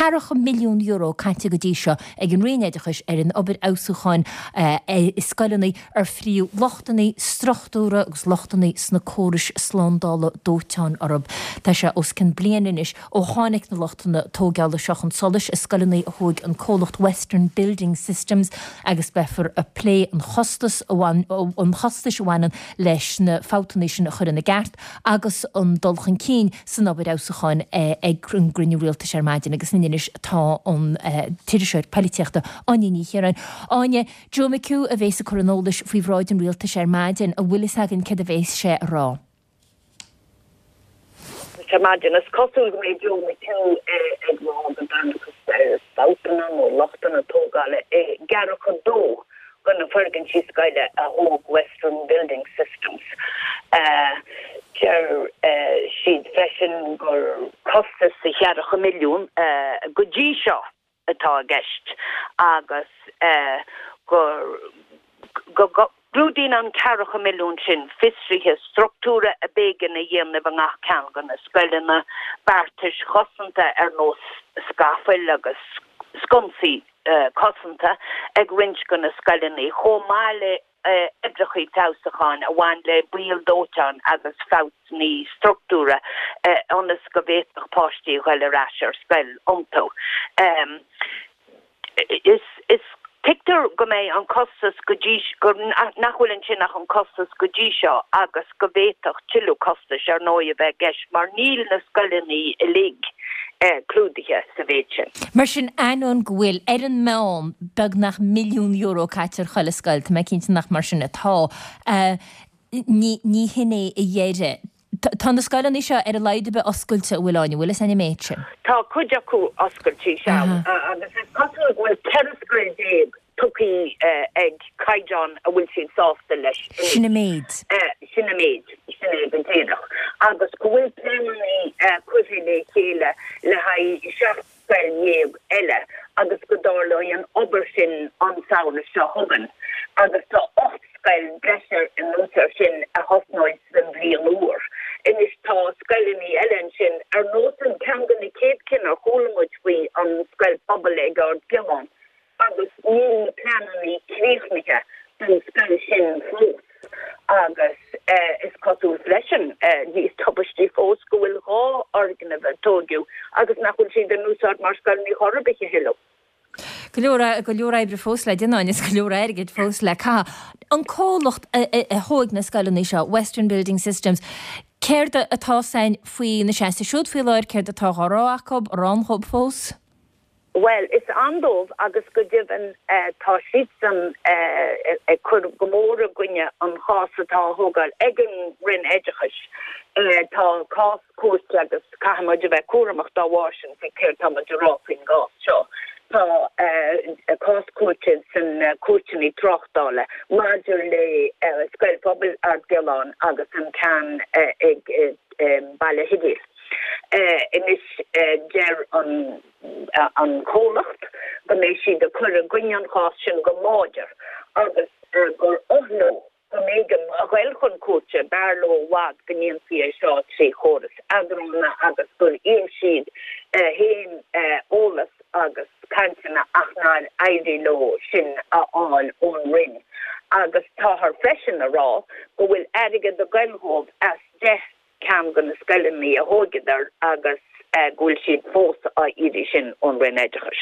Ceathracha milliún euro caite go dtí seo ag an Roinn Oideachais ar an obair fheabhsúcháin i scoileanna ar fríodh lochtanna struchtúrtha agus lochtanna sna córais slándála dóiteáin orthu. Tá sé os cionn bliain anois ó tháinig na lochtanna tóigeála seo chun solais i scoileanna a thóig an comhlacht Western Building Systems agus beifear ag plé an chostais a bhaineann leis na fabhtanna sin a chur ina gceart agus an dul chun cinn san obair fheabhsúcháin ag an gcruinniú rialtais ar maidin agus linn anois tá an t-iriseoir poilitíochta Áine Ní Chiaráin. Áine, Joe McHugh a bhéas ag cur an eolais faoi bhráid an rialtais ar maidin, an bhfuil fhios againn céard a bhéas sé a rá? Ar maidin, is cosúil go mbeidh Joe McHugh ag rá go dtángthas ar fabhtanna nó lochtanna tógála i gceathracha dó de na foirgintí scoile a thóg Western Building Systems. Deir siad freisin gur costas de cheathracha milliún go dtí seo atá i gceist agus gur go gclúdaíonn an ceathracha milliún sin fiosruithe struchtúrtha a b'éigean a dhéanamh i ngach ceann de na scoileanna, beartais chosanta ar nós scafaill agus sconsaí cosanta ag roinnt de na scoileanna, chomh maith le oibreacha feabhsúcháin a bhain le baol dóiteáin agus fabhtanna struchtúrtha ionas go bhféadfadh páistí a ghoil ar ais ar scoil iontu. Is tuigtear go mbeidh an costas go dtí go nach bhfuil ansin ach an costas go dtí seo agus go bhféadfadh tuilleadh costais ar ndóigh a bheith i gceist mar níl na scoileanna uilig clúdaithe sa mhéid sin. Mar sin, ainneoin go bhfuil, ar an meán, beagnach milliún euro caite ar chuile scoil, tá mé cinnte nach mar sin atá, ní ní hin é a dheireadh. Tá na scoileanna seo ar a laghad ar bith oscailte, an bhfuil, Áine, an bhfuil fhios againn an méid sin? Tá cuid acu oscailte, sea, agus is cosúil go bhfuil 14 scoil tugtha ag caighdeán a bhfuil siad sásta leis anois. Sin an méid. Sin an méid, sin é go díreach. Agus go bhfuil pleananna curtha le chéile le haghaidh 17 scoil eile agus go dtarlóidh an obair sin an samhradh seo chugainn agus tá 8 scoil breise anuas air sin a thosnóidh sa bhliain úr. Anois tá scoileanna eile ansin, ar nós an ceann de na chéad cinn ar chuala muid faoi, an scoil phobail ag Ard Giolláin, agus níl na pleananna críochnaithe don scoil sin fós agus is cosúil freisin, níos tubaistí fós, go bhfuil dhá fhoirgneamh a tóigeadh agus nach bhfuil siad in úsáid mar scoileanna chor ar bith a thuilleadh. Go leor, go leor oibre fós le déanamh agus go leor airgid fós le caitheamh. An comhlacht a thóig na scoileanna seo, Western Building Systems, céard atá fhios againn faoina seasamh siúd faoi láthair, céard atá á rá acu, an ann dhóibh fós? Bhuel, is ann dóibh agus go deimhin tá siadsan ag cur go mór i gcoinne an chás atá á thógáil ag an Roinn Oideachais. Tá cás cúirte agus caithfidh muid a bheith cúramach dá bharr sin faoi céard tá muid a rá faoin gcás seo. Tá cás cúirte sna cúirteanna tráchtála maidir le Scoil Phobail Ard Giolláin agus an ceann ag Baile Shidéil. Anois deir an. an comhlacht go mbeidh siad ag cur i gcoinne an chás sin go láidir agus gur oth leo go mb'éigean a ghoil chun cúirte, b'fhearr leo i bhfad go ndéanfaí é seo trí chóras eadrána agus gur iarr siad féin eolas agus cainteanna ach nár éirigh leo sin a fháil ón Roinn agus táthar freisin a rá go bhfuil airgead ag goil dhóibh as 10 ceann de na scoileanna a thóigeadar agus go bhfuil siad fós á iarraidh sin ón Roinn Oideachais.